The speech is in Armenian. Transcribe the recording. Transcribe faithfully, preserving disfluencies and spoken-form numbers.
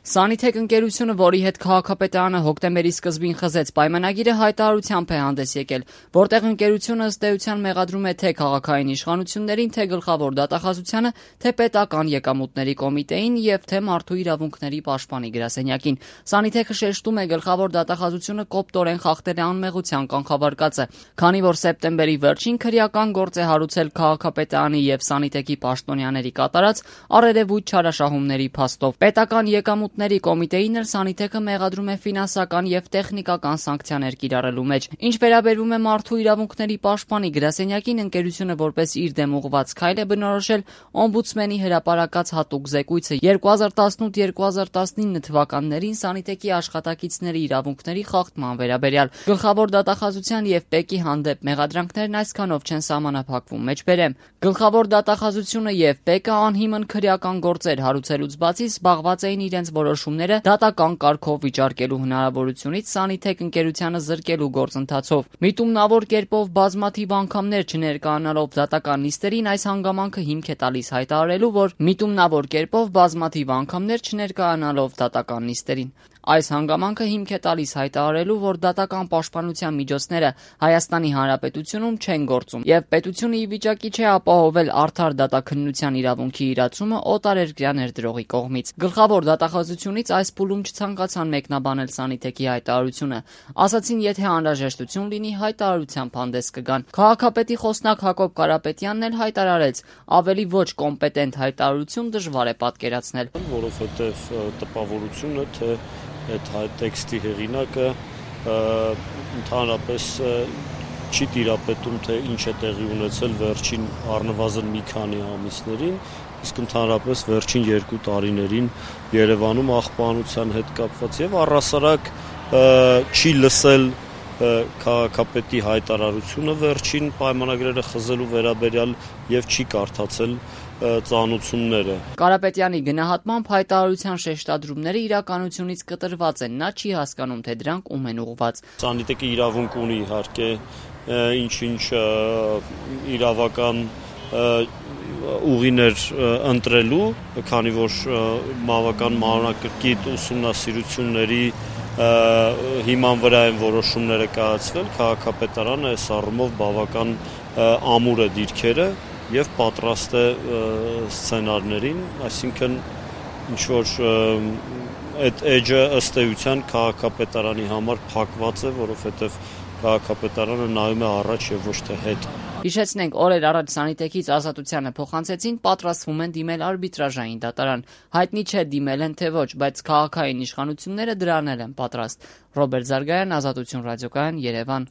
Սանիթեք ընկերությունը, որի հետ քաղաքապետարանը հոկտեմբերի սկզբին խզեց պայմանագիրը, հայտարարությամբ է հանդես եկել, որտեղ ընկերությունը ըստ էության մեղադրում է թե քաղաքային իշխանություններին, թե գլխավոր դատախազությանը, թե պետական եկամուտների կոմիտեին եւ թե մարդու իրավունքների պաշտպանի գրասենյակին։ Սանիթեքը շեշտում է, գլխավոր դատախազությունը կոպտորեն խախտել է անմեղության կանխավարկածը, քանի որ սեպտեմբերի վերջին քրեական գործ է հարուցել քաղաքապետարանի եւ Սանիթեքի պաշտոնյաների կատարած առերևույթ չարաշահումների փաստով։ Պետական եկամուտների կոմիտեին էլ Սանիթեքը մեղադրում է ֆինանսական եւ տեխնիկական սանկցիաներ կիրառելու մեջ։ Ինչ վերաբերում է մարդու իրավունքների պաշտպանի գրասենյակին, ընկերությունը որպես իր դեմ ուղղված քայլ է բնորոշել օմբուդսմենի հրապարակած հատուկ զեկույցը երկու հազար տասնութ երկու հազար տասնինը թվականներին Սանիթեքի աշխատակիցների իրավունքների խախտման վերաբերյալ։ Գլխավոր դատախազության եւ ՊԵԿ-ի հանդեպ մեղադրանքներն այսքանով չեն սահմանափակվում։ Մեջբերեմ, գլխավոր դատախազությունը եւ ՊԵԿ-ը անհիմն քրեական գործեր հարուցելուց բացի զբաղված էին իրենց որոշումները դատական կարգով վիճարկելու հնարավորությունից Սանիթեք ընկերությանը զրկելու գործընթացով։ Միտումնավոր կերպով բազմաթիվ անգամներ չներկայանալով դատական նիստերին այս հանգամանքը հիմք է տալիս հայտարարելու, որ միտումնավոր կերպով բազմաթիվ անգամներ չներկայանալով դատական նիստերին Այս հանգամանքը հիմք է տալիս հայտարարելու, որ դատական պաշտպանության միջոցները Հայաստանի Հանրապետությունում չեն գործում եւ պետությունը ի վիճակի չէ ապահովել արդար դատաքննության իրավունքի իրացումը օտարերկրյա ներդրողի կողմից։ Գլխավոր դատախազությունից այս փուլում չցանկացան մեկնաբանել Սանիթեքի հայտարարությունը, ասացին, եթե անհրաժեշտություն լինի, հայտարարությամբ հանդես կգան։ Քաղաքապետի խոսնակ Հակոբ Կարապետյանն էլ հայտարարեց, ավելի ոչ կոմպետենտ հայտարարություն դժվար է պատկերացնել, որովհետեւ տպավորությունը թե այդ տեքստի հեղինակը ընդհանրապես չի տիրապետում, թե ինչ է տեղի ունեցել վերջին առնվազն մի քանի ամիսներին, իսկ ընդհանրապես վերջին երկու տարիներին Երևանում աղբանության հետ կապված եւ առհասարակ չի լսել քաղաքապետի հայտարարությունը վերջին պայմանագրերը խզելու վերաբերյալ եւ չի կարդացել ծանուցումները։ Կարապետյանի գնահատմամբ հայտարարության շեշտադրումները իրականությունից կտրված են, նա չի հասկանում, թե դրանք ում են ուղղված։ Սանիթեքը իրավունք ունի իհարկե ինչ-ինչ իրավական ուղիներ ընտրելու, քանի որ բավական մանրակրկիտ ուսումնասիրությունների հիման վրա են որոշումները կայացվել, քաղաքապետարանը այս առումով բավական ամուր է դիրքերը եւ պատրաստ է սցենարներին, այսինքն ինչ որ այդ էջը ըստ էության քաղաքապետարանի համար փակված է, որովհետեւ քաղաքապետարանը նայում է առաջ եւ ոչ թե հետ։ Հիշեցնենք, օրեր առաջ Սանիթեքից Ազատությանը փոխանցեցին, պատրաստվում են դիմել արբիտրաժային դատարան։ Հայտնի չէ դիմել են թե ոչ, բայց քաղաքային իշխանությունները դրան են պատրաստ։ Ռոբերտ Զարգայան, Ազատություն ռադիոկայան, Երևան։